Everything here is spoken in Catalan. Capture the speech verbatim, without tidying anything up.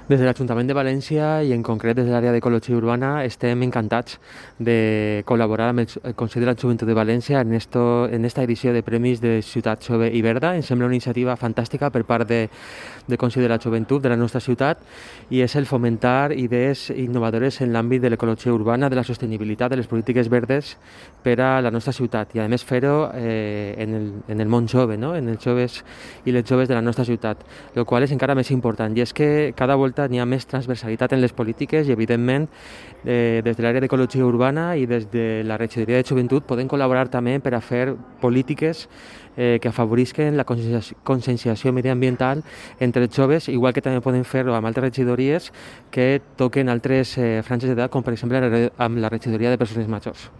Des de l'Ajuntament de València i en concret des de l'àrea d'Ecologia Urbana estem encantats de col·laborar amb el Consell de la Joventut de València en, esto, en esta edició de Premis de Ciutat Jove i Verda. Em sembla una iniciativa fantàstica per part de, del Consell de la Joventut de la nostra ciutat i és el fomentar idees innovadores en l'àmbit de l'ecologia urbana, de la sostenibilitat, de les polítiques verdes per a la nostra ciutat i a més fer-ho eh, en, el, en el món jove, no? En els joves i les joves de la nostra ciutat, el qual és encara més important i és que cada volta n'hi ha més transversalitat en les polítiques i, evidentment, eh, des de l'àrea d'ecologia urbana i des de la regidoria de joventut podem col·laborar també per a fer polítiques eh, que afavorisquen la conscienciació mediambiental entre els joves, igual que també podem fer-ho amb altres regidories que toquen altres eh, franges d'edat, com per exemple amb la regidoria de persones majors.